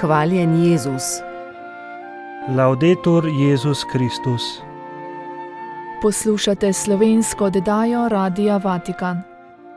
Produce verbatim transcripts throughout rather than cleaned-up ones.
Hvaljen Jezus. Laudetur Jezus Kristus. Poslušate slovensko oddajo Radia Vatikan.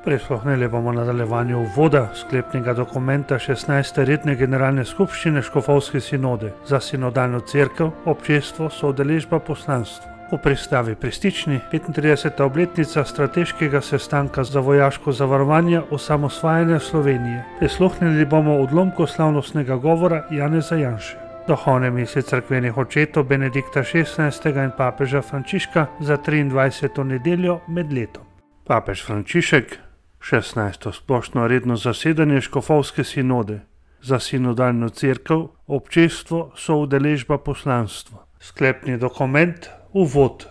Prisluhnili bomo nadaljevanju uvoda sklepnega dokumenta šestnajste redne generalne skupščine Škofovske sinode za sinodalno cerkev, občestvo, soudeležba, poslanstvo. V pristavi Pristični petintrideseta obletnica strateškega sestanka za vojaško zavarovanje osamosvajanja Slovenije. Prisluhnili bomo odlomku slavnostnega govora Janeza Janše. Duhovne misli cerkvenih očetov Benedikta šestnajstega in papeža Frančiška za triindvajseto nedeljo med letom. Papež Frančišek, šestnajsto splošno redno zasedanje Škofovske sinode za sinodalno cerkev, občestvo, soudeležba, poslanstvo. Sklepni dokument, uvod.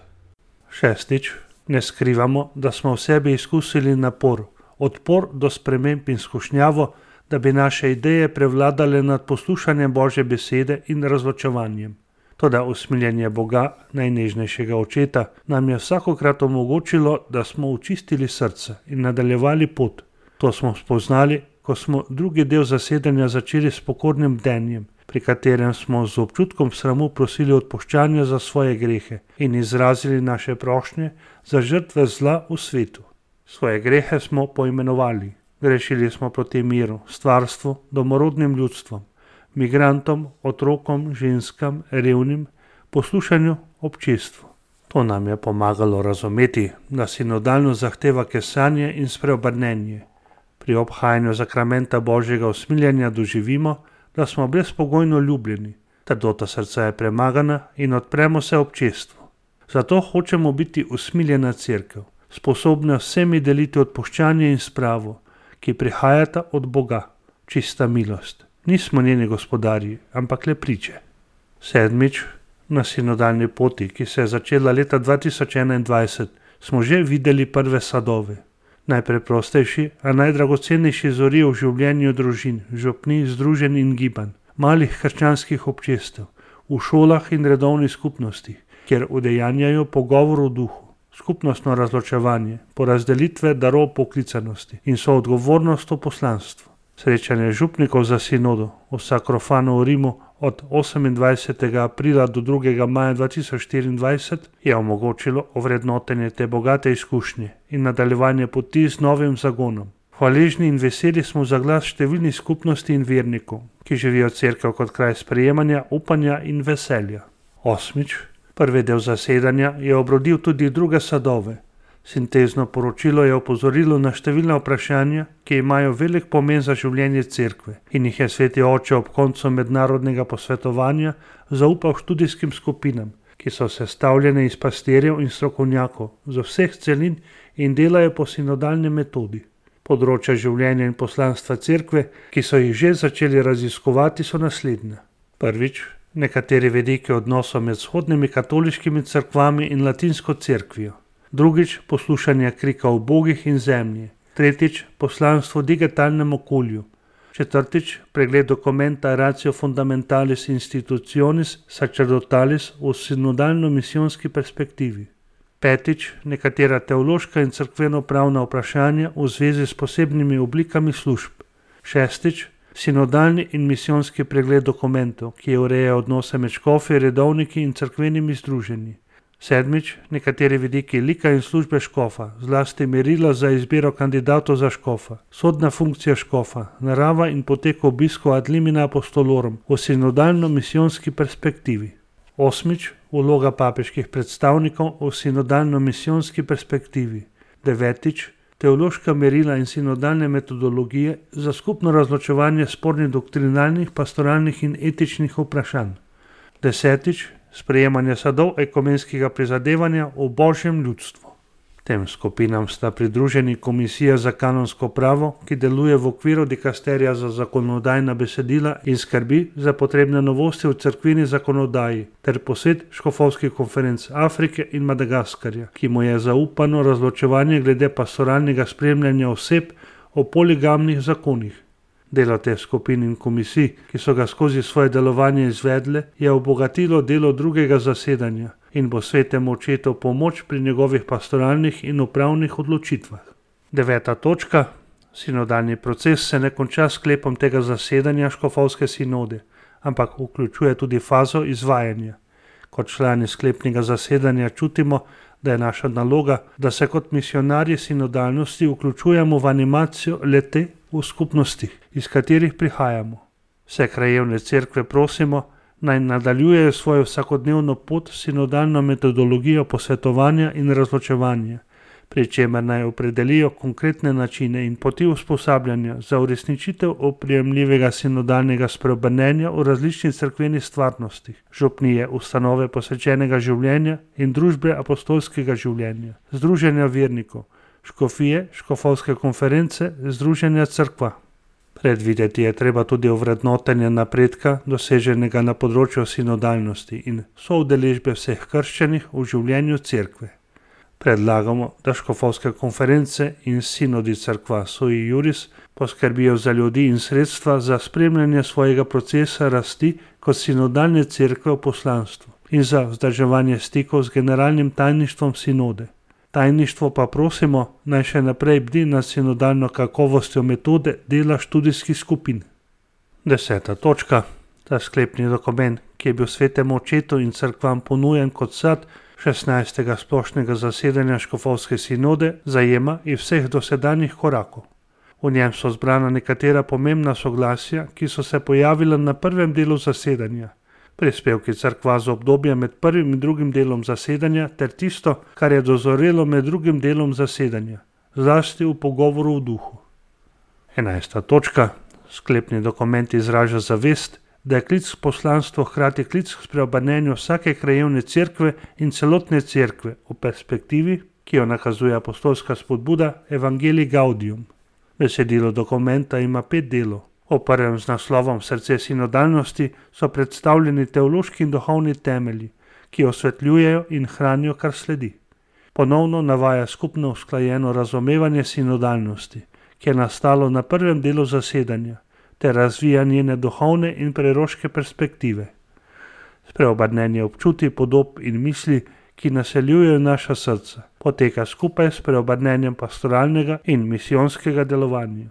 Šestič, ne skrivamo, da smo v sebi izkusili napor, odpor do sprememb in skušnjavo, da bi naše ideje prevladale nad poslušanjem Božje besede in razločevanjem. Toda usmiljenje Boga, najnežnejšega očeta, nam je vsakokrat omogočilo, da smo očistili srce in nadaljevali pot. To smo spoznali, ko smo drugi del zasedanja začeli s pokornim bdenjem, pri katerem smo z občutkom sramu prosili odpuščanja za svoje grehe in izrazili naše prošnje za žrtve zla v svetu. Svoje grehe smo poimenovali. Grešili smo proti miru, stvarstvu, domorodnim ljudstvom, migrantom, otrokom, ženskam, revnim, poslušanju, občestvu. To nam je pomagalo razumeti, da sinodalno zahteva kesanje in spreobrnenje. Pri obhajanju zakramenta Božjega usmiljenja doživimo, da smo brezpogojno ljubljeni, trdota srca je premagana in odpremo se občestvu. Zato hočemo biti usmiljena cerkev, sposobna vsemi deliti odpuščanje in spravo, ki prihajata od Boga, čista milost. Nismo njeni gospodarji, ampak le priče. Sedmič, na sinodalni poti, ki se je začela leta dva tisoč enaindvajset, smo že videli prve sadove. Najpreprostejši, a najdragocenejši zori v življenju družin, župni, združenj in gibanj, malih krščanskih občestev, v šolah in redovnih skupnostih, kjer udejanjajo pogovor v duhu, skupnostno razločevanje, porazdelitve darov poklicanosti in soodgovornost v poslanstvu. Srečanje župnikov za sinodo v Sakrofanu v Rimu od osemindvajsetega aprila do drugega maja dva tisoč štiriindvajset je omogočilo ovrednotenje te bogate izkušnje in nadaljevanje poti z novim zagonom. Hvaležni in veseli smo za glas številnih skupnosti in vernikov, ki živijo cerkev kot kraj sprejemanja, upanja in veselja. Osmič, prvi del zasedanja je obrodil tudi druge sadove. Sintezno poročilo je opozorilo na številna vprašanja, ki imajo velik pomen za življenje cerkve in jih je sveti oče ob koncu mednarodnega posvetovanja zaupal študijskim skupinam, ki so sestavljene iz pastirjev in strokovnjakov z vseh celin in delajo po sinodalni metodi. Področja življenja in poslanstva cerkve, ki so jih že začeli raziskovati, so naslednja. Prvič, nekateri vidiki odnosov med vzhodnimi katoliškimi cerkvami in latinsko cerkvijo. Drugič, poslušanje krika ubogih in zemlji. Tretjič, poslanstvo v digitalnem okolju. Četrtič, pregled dokumenta Ratio Fundamentalis Institutionis Sacerdotalis v sinodalno-misijonski perspektivi. Petič, nekatera teološka in cerkveno-pravna vprašanja v zvezi s posebnimi oblikami služb. Šestič, sinodalni in misijonski pregled dokumentov, ki ureja odnose med škofi, redovniki in cerkvenimi združenji. Sedmič, nekateri vidiki lika in službe škofa, zlasti merila za izbiro kandidatov za škofa, sodna funkcija škofa, narava in potek obiskov ad limina apostolorum v sinodalno-misijonski perspektivi. Osmič, vloga papeških predstavnikov v sinodalno-misijonski perspektivi. Devetič, teološka merila in sinodalne metodologije za skupno razločevanje spornih doktrinalnih, pastoralnih in etičnih vprašanj. Desetič, sprejemanje sadov ekumenskega prizadevanja v Božjem ljudstvu. Tem skupinam sta pridruženi Komisija za kanonsko pravo, ki deluje v okviru dikasterija za zakonodajna besedila in skrbi za potrebne novosti v cerkveni zakonodaji, ter posvet škofovskih konferenc Afrike in Madagaskarja, ki mu je zaupano razločevanje glede pastoralnega spremljanja oseb o poligamnih zakonih. Delo teh skupin in komisij, ki so ga skozi svoje delovanje izvedle, je obogatilo delo drugega zasedanja in bo svetemu očetu pomoč pri njegovih pastoralnih in upravnih odločitvah. Deveta točka. Sinodalni proces se ne konča s sklepom tega zasedanja Škofovske sinode, ampak vključuje tudi fazo izvajanja. Kot člani sklepnega zasedanja čutimo, da je naša naloga, da se kot misionarji sinodalnosti vključujemo v animacijo le-te v skupnostih, iz katerih prihajamo. Vse krajevne cerkve prosimo, naj nadaljujejo svojo vsakodnevno pot s sinodalno metodologijo posvetovanja in razločevanja, pri čemer naj opredelijo konkretne načine in poti usposabljanja za uresničitev oprijemljivega sinodalnega spreobrnenja v različnih cerkvenih stvarnostih, župnije, ustanove posvečenega življenja in družbe apostolskega življenja, združenja vernikov, škofije, škofovske konference, združenja cerkva. Predvideti je treba tudi ovrednotenje napredka, doseženega na področju sinodalnosti in soudeležbe vseh krščanih v življenju cerkve. Predlagamo, da škofovske konference in sinodi cerkva sui juris poskrbijo za ljudi in sredstva za spremljanje svojega procesa rasti kot sinodalne cerkve v poslanstvu in za vzdrževanje stikov z generalnim tajništvom sinode. Tajništvo pa prosimo, naj še naprej bdi nad sinodalno kakovostjo metode dela študijskih skupin. Deseta točka. Ta sklepni dokument, ki je bil svetemu očetu in cerkvam ponujen kot sad šestnajstega splošnega zasedanja škofovske sinode, zajema i vseh dosedanjih korakov. V njem so zbrana nekatera pomembna soglasja, ki so se pojavila na prvem delu zasedanja, prispevki cerkva za obdobje med prvim in drugim delom zasedanja ter tisto, kar je dozorelo med drugim delom zasedanja, zlasti v pogovoru v duhu. Enajsta točka. Sklepni dokument izraža zavest, da je klic k poslanstvu hkrati klic k spreobrnenju vsake krajevne cerkve in celotne cerkve v perspektivi, ki jo nakazuje apostolska spodbuda Evangelii Gaudium. Besedilo dokumenta ima pet delov. V prvem z naslovom Srce sinodalnosti so predstavljeni teološki in duhovni temelji, ki osvetljujejo in hranijo, kar sledi. Ponovno navaja skupno usklajeno razumevanje sinodalnosti, ki je nastalo na prvem delu zasedanja, ter razvija njene duhovne in preroške perspektive. Spreobrnenje občutij, podob in misli, ki naseljujejo naša srca, poteka skupaj s preobrnenjem pastoralnega in misijonskega delovanja.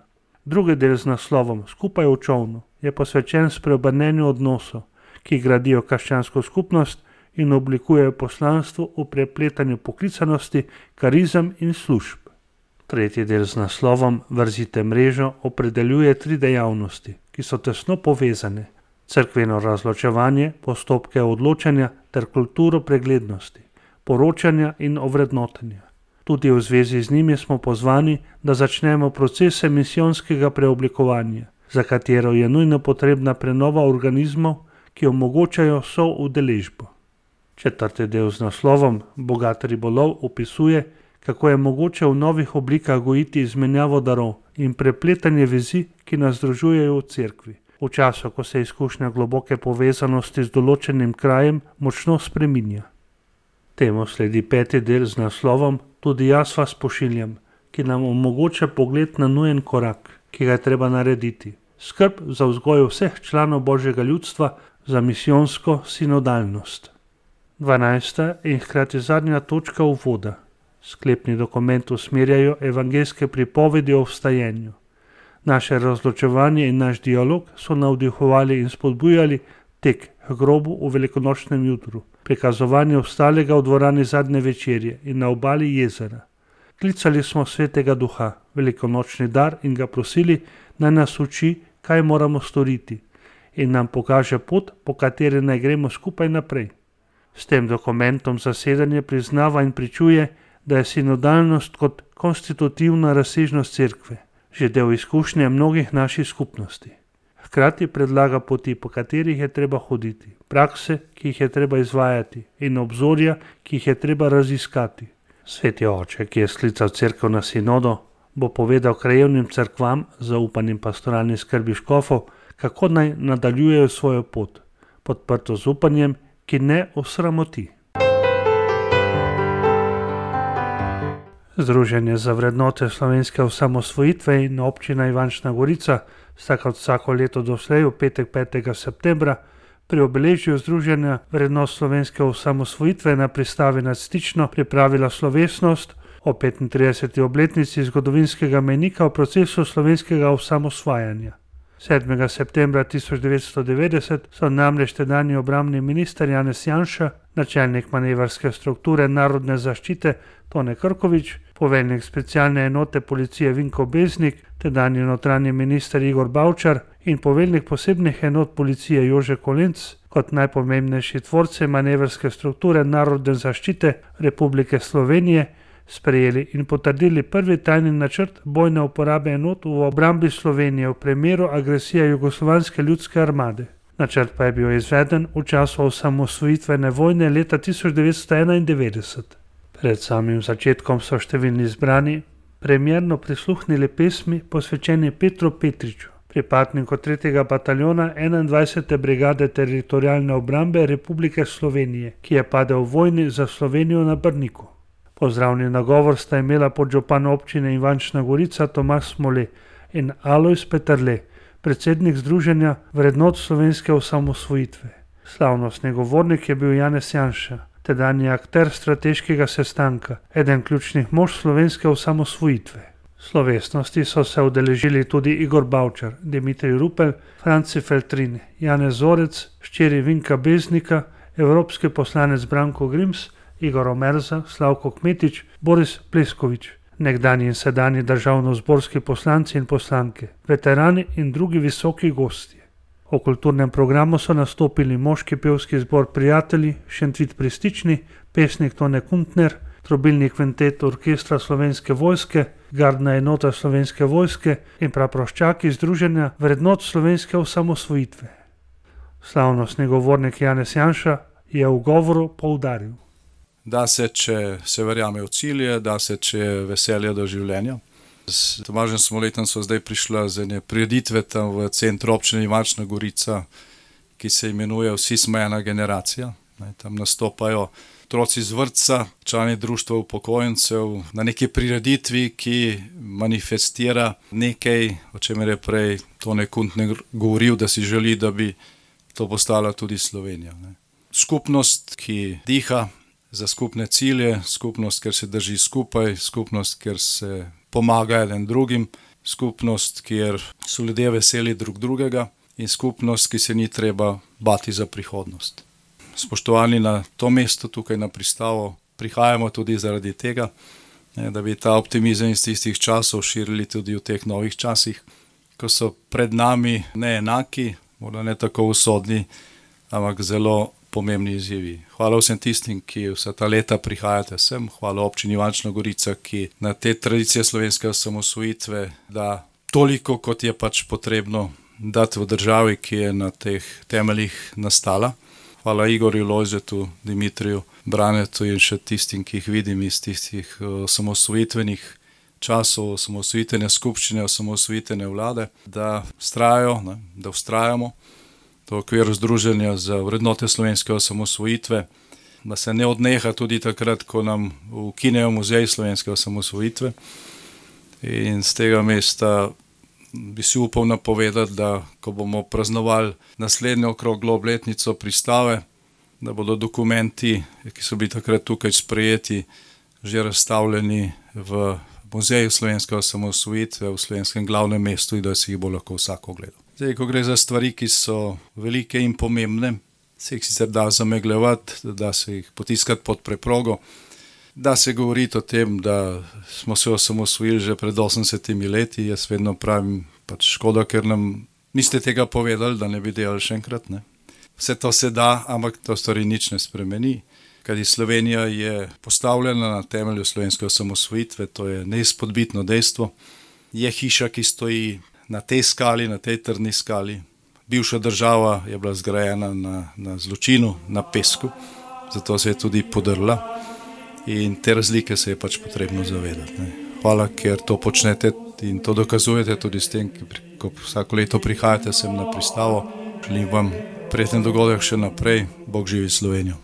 Drugi del z naslovom Skupaj v čovnu je posvečen spreobrnenju odnosov, ki gradijo krščansko skupnost in oblikujejo poslanstvo v prepletanju poklicanosti, karizem in služb. Tretji del z naslovom Vrzite mrežo opredeljuje tri dejavnosti, ki so tesno povezane: cerkveno razločevanje, postopke odločanja ter kulturo preglednosti, poročanja in ovrednotenja. Tudi v zvezi z njimi smo pozvani, da začnemo procese misijonskega preoblikovanja, za katero je nujno potrebna prenova organizmov, ki omogočajo soudeležbo. Četrti del z naslovom Bogat ribolov opisuje, kako je mogoče v novih oblikah gojiti izmenjavo darov in prepletanje vezi, ki nas združujejo v cerkvi, v času, ko se izkušnja globoke povezanosti z določenim krajem močno spreminja. Temu sledi peti del z naslovom Tudi jaz vas pošiljam, ki nam omogoča pogled na nujen korak, ki ga je treba narediti. Skrb za vzgojo vseh članov Božjega ljudstva za misijonsko sinodalnost. Dvanajsta in hkrati zadnja točka uvoda. Sklepni dokument usmerjajo evangeljske pripovedi o vstajenju. Naše razločevanje in naš dialog so navdihovali in spodbujali tek k grobu v velikonočnem jutru, prikazovanje vstalega v dvorani zadnje večerje in na obali jezera. Klicali smo Svetega Duha, velikonočni dar, in ga prosili, naj nas uči, kaj moramo storiti, in nam pokaže pot, po kateri naj gremo skupaj naprej. S tem dokumentom zasedanje priznava in pričuje, da je sinodalnost kot konstitutivna razsežnost cerkve, že del izkušnje mnogih naših skupnosti. Hkrati predlaga poti, po katerih je treba hoditi, prakse, ki jih je treba izvajati, in obzorja, ki jih je treba raziskati. Sveti oče, ki je sklical cerkev na sinodo, bo povedal krajevnim cerkvam, zaupanim pastoralni skrbi škofov, kako naj nadaljujejo svojo pot, podprto z upanjem, ki ne osramoti. Združenje za vrednote slovenske osamosvojitve in občina Ivančna Gorica sta kot vsako leto doslej v petek petega septembra pri obeležju Združenja vrednot slovenske osamosvojitve na pristavi nad Stično pripravila slovesnost o petintrideseti obletnici zgodovinskega mejnika v procesu slovenskega osamosvajanja. sedmega septembra tisoč devetsto devetdeset so namreč tedanji obrambni minister Janez Janša, načelnik manevrske strukture narodne zaščite Tone Krkovič, poveljnik specialne enote policije Vinko Beznik, tedanji notranji minister Igor Bavčar in poveljnik posebnih enot policije Jože Kolenc kot najpomembnejši tvorci manevrske strukture narodne zaščite Republike Slovenije sprejeli in potrdili prvi tajni načrt bojne uporabe enot v obrambi Slovenije v primeru agresije Jugoslovanske ljudske armade. Načrt pa je bil izveden v času osamosvojitvene vojne leta tisoč devetsto enaindevetdeset. Pred samim začetkom so številni zbrani premierno prisluhnili pesmi posvečeni Petru Petriču, pripadniku tretjega bataljona enaindvajsete brigade teritorialne obrambe Republike Slovenije, ki je padel v vojni za Slovenijo na Brniku. Pozdravni nagovor sta imela podžupan občine Ivančna Gorica Tomaž Smole in Alojz Peterle, predsednik Združenja vrednot slovenske osamosvojitve. Slavnostni govornik je bil Janez Janša, tedanji akter strateškega sestanka, eden ključnih mož slovenske osamosvojitve. Slovesnosti so se udeležili tudi Igor Bavčar, Dimitrij Rupel, Franci Feltrin, Janez Zorec, hčeri Vinka Beznika, evropski poslanec Branko Grims, Igor Omerza, Slavko Kmetič, Boris Pleskovič, nekdanji in sedanji državnozborski poslanci in poslanke, veterani in drugi visoki gostje. O kulturnem programu so nastopili moški pevski zbor Prijatelji, Šentvid pri Stični, pesnik Tone Kuntner, trobilni kvintet orkestra Slovenske vojske, gardna enota Slovenske vojske in praproščaki Združenja vrednot slovenske osamosvojitve. Slavnostni govornik Janez Janša je v govoru poudaril: Da se, če se verjame v cilje, da se, če je veselje do življenja. S Tomažem Smoletom so zdaj prišla z ene prireditve tam v centru občine Ivančna Gorica, ki se imenuje Vsi smo ena generacija. Tam nastopajo otroci z vrtca, člani društva upokojencev, na neki prireditvi, ki manifestira nekaj, o čemer je prej Tone Kuntner govoril, da si želi, da bi to postala tudi Slovenija. Skupnost, ki diha za skupne cilje, skupnost, ker se drži skupaj, skupnost, ker se pomaga eden drugim, skupnost, kjer so ljudje veseli drug drugega in skupnost, ki se ni treba bati za prihodnost. Spoštovani na to mesto tukaj na Pristavo, prihajamo tudi zaradi tega, da bi ta optimizem iz tistih časov širili tudi v teh novih časih, ko so pred nami neenaki, morda ne tako usodni, ampak zelo pomembni izzivi. Hvala vsem tistim, ki vsa ta leta prihajate sem, hvala občini Ivančna Gorica, ki na te tradicije slovenske osamosvojitve da toliko, kot je pač potrebno dati v državi, ki je na teh temeljih nastala. Hvala Igorju, Lojzetu, Dimitriju, Branetu in še tistim, ki jih vidim iz tistih osamosvojitvenih časov, osamosvojitvene skupščine, osamosvojitvene vlade, da vztrajajo, ne, da vztrajamo v okviru Združenja za vrednote slovenske osamosvojitve, da se ne odneha tudi takrat, ko nam ukinejo muzej slovenske osamosvojitve. In z tega mesta bi si upal napovedati, da ko bomo praznovali naslednjo okroglo obletnico Pristave, da bodo dokumenti, ki so bili takrat tukaj sprejeti, že razstavljeni v muzeju slovenske osamosvojitve v slovenskem glavnem mestu in da si jih bo lahko vsak ogledal. Zdaj, ko gre za stvari, ki so velike in pomembne, se jih sicer da zamegljevati, da se jih potiskati pod preprogo, da se govoriti o tem, da smo se osamosvojili že pred osemdesetimi leti. Jaz vedno pravim, pač škoda, ker nam niste tega povedali, da ne bi delali še enkrat. Ne? Vse to se da, ampak to stvari nič ne spremeni. Kajti Slovenija je postavljena na temelju slovenske osamosvojitve, to je neizpodbitno dejstvo. Je hiša, ki stoji na tej skali, na tej trdni skali. Bivša država je bila zgrajena na, na zločinu, na pesku, zato se je tudi podrla in te razlike se je pač potrebno zavedati. Ne. Hvala, ker to počnete in to dokazujete tudi s tem, ko vsako leto prihajate sem na Pristavo. Želim vam prijeten dogodek še naprej. Bog živi Slovenijo.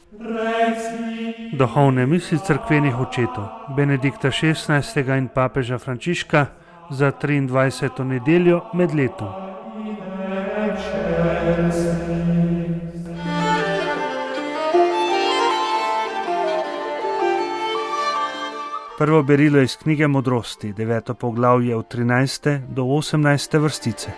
Duhovne misli cerkvenih očetov Benedikta šestnajstega in papeža Frančiška za triindvajseto nedeljo med letom. Prvo berilo iz knjige Modrosti, deveto poglavje od trinajste do osemnajste vrstice.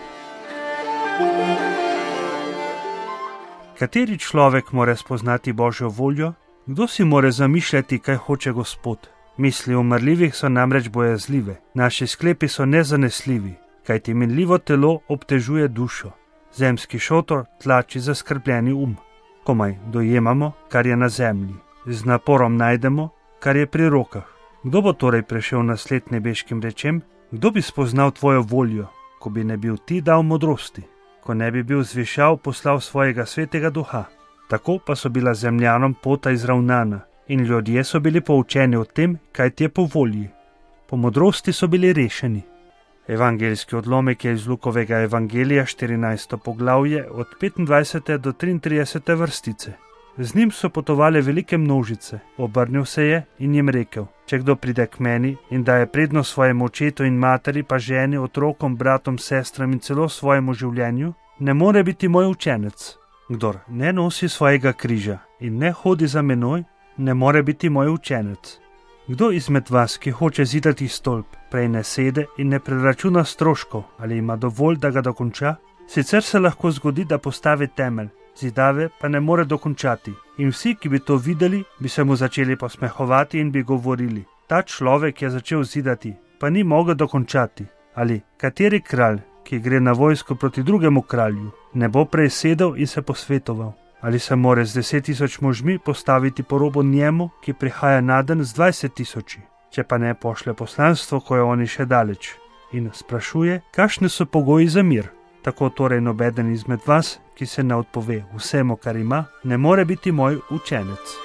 Kateri človek more spoznati Božjo voljo? Kdo si more zamišljati, kaj hoče Gospod? Misli umrljivih so namreč bojazljive, naši sklepi so nezanesljivi, kajti minljivo telo obtežuje dušo. Zemski šotor tlači zaskrbljeni um. Komaj dojemamo, kar je na zemlji. Z naporom najdemo, kar je pri rokah. Kdo bo torej prešel nasled nebeškim rečem? Kdo bi spoznal tvojo voljo, ko bi ne bil ti dal modrosti, ko ne bi bil zvišal poslal svojega svetega duha? Tako pa so bila zemljanom pota izravnana in ljudje so bili poučeni o tem, kaj ti je po volji. Po modrosti so bili rešeni. Evangeljski odlomek je iz Lukovega evangelija, štirinajsto poglavje, od petindvajsete do triintridesete vrstice. Z njim so potovale velike množice, obrnil se je in jim rekel: če kdo pride k meni in daje prednost svojemu očetu in materi, pa ženi, otrokom, bratom, sestram in celo svojemu življenju, ne more biti moj učenec. Kdor ne nosi svojega križa in ne hodi za menoj, ne more biti moj učenec. Kdo izmed vas, ki hoče zidati stolp, prej ne sede in ne preračuna stroškov, ali ima dovolj, da ga dokonča? Sicer se lahko zgodi, da postavi temelj, zidave pa ne more dokončati. In vsi, ki bi to videli, bi se mu začeli posmehovati in bi govorili: ta človek je začel zidati, pa ni mogel dokončati. Ali kateri kralj, ki gre na vojsko proti drugemu kralju, ne bo prej sedel in se posvetoval? Ali se more z deset tisoč možmi postaviti po robu njemu, ki prihaja naden z dvajset tisoči, če pa ne pošlje poslanstvo, ko je oni še daleč, in sprašuje, kakšni so pogoji za mir? Tako torej nobeden izmed vas, ki se ne odpove vsemu, kar ima, ne more biti moj učenec.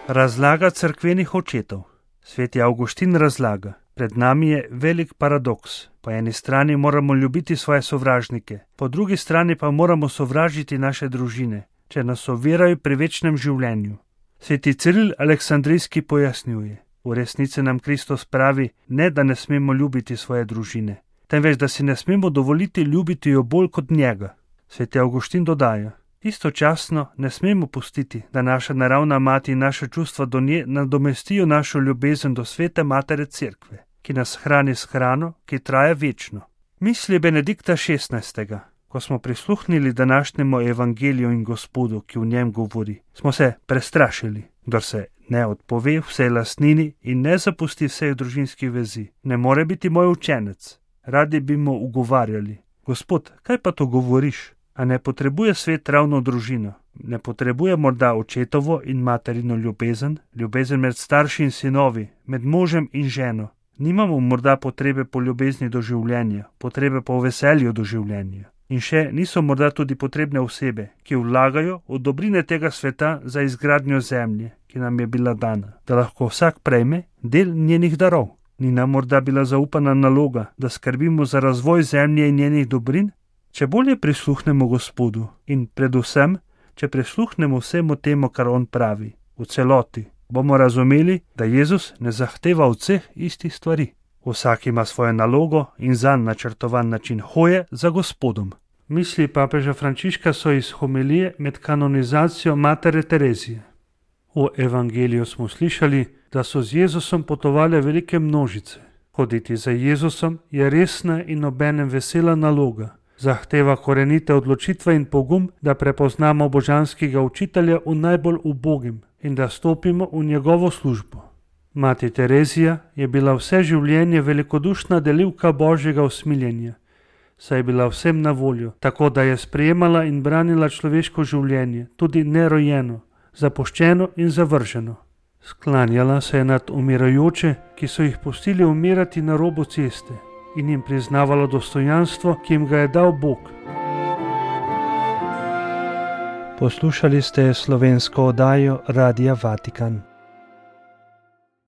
Razlaga cerkvenih očetov. Sveti Avguštin razlaga: pred nami je velik paradoks. Po eni strani moramo ljubiti svoje sovražnike, po drugi strani pa moramo sovražiti naše družine, če nas ovirajo pri večnem življenju. Sveti Ciril Aleksandrijski pojasnjuje: v resnici nam Kristus pravi, ne da ne smemo ljubiti svoje družine, temveč da si ne smemo dovoliti ljubiti jo bolj kot njega. Sveti Avguštin dodaja: istočasno ne smemo pustiti, da naša naravna mati in naše čustva do nje nadomestijo našo ljubezen do svete matere Cerkve, ki nas hrani s hrano, ki traja večno. Misli Benedikta šestnajstega. Ko smo prisluhnili današnjemu evangeliju in Gospodu, ki v njem govori, smo se prestrašili. Kdor se ne odpove vsej lastnini in ne zapusti vseh družinskih vezi, ne more biti moj učenec. Radi bi mu ugovarjali: Gospod, kaj pa to govoriš? A ne potrebuje svet ravno družino? Ne potrebuje morda očetovo in materino ljubezen, ljubezen med starši in sinovi, med možem in ženo? Nimamo morda potrebe po ljubezni do življenja, potrebe po veselju do življenja? In še niso morda tudi potrebne osebe, ki vlagajo v dobrine tega sveta za izgradnjo zemlje, ki nam je bila dana, da lahko vsak prejme del njenih darov? Ni nam morda bila zaupana naloga, da skrbimo za razvoj zemlje in njenih dobrin? Če bolje prisluhnemo Gospodu in predvsem, če prisluhnemo vsemu temu, kar on pravi, v celoti, bomo razumeli, da Jezus ne zahteva od vseh istih stvari. Vsak ima svojo nalogo in zanj načrtovan način hoje za Gospodom. Misli papeža Frančiška so iz homilije med kanonizacijo matere Terezije. V evangeliju smo slišali, da so z Jezusom potovale velike množice. Hoditi za Jezusom je resna in obenem vesela naloga. Zahteva korenite odločitve in pogum, da prepoznamo božanskega učitelja v najbolj ubogim in da stopimo v njegovo službo. Mati Terezija je bila vse življenje velikodušna delivka Božjega usmiljenja, saj je bila vsem na voljo, tako da je sprejemala in branila človeško življenje, tudi nerojeno, zapuščeno in zavrženo. Sklanjala se je nad umirajoče, ki so jih pustili umirati na robu ceste, in jim priznavala dostojanstvo, ki jim ga je dal Bog. Poslušali ste slovensko oddajo Radia Vatikan.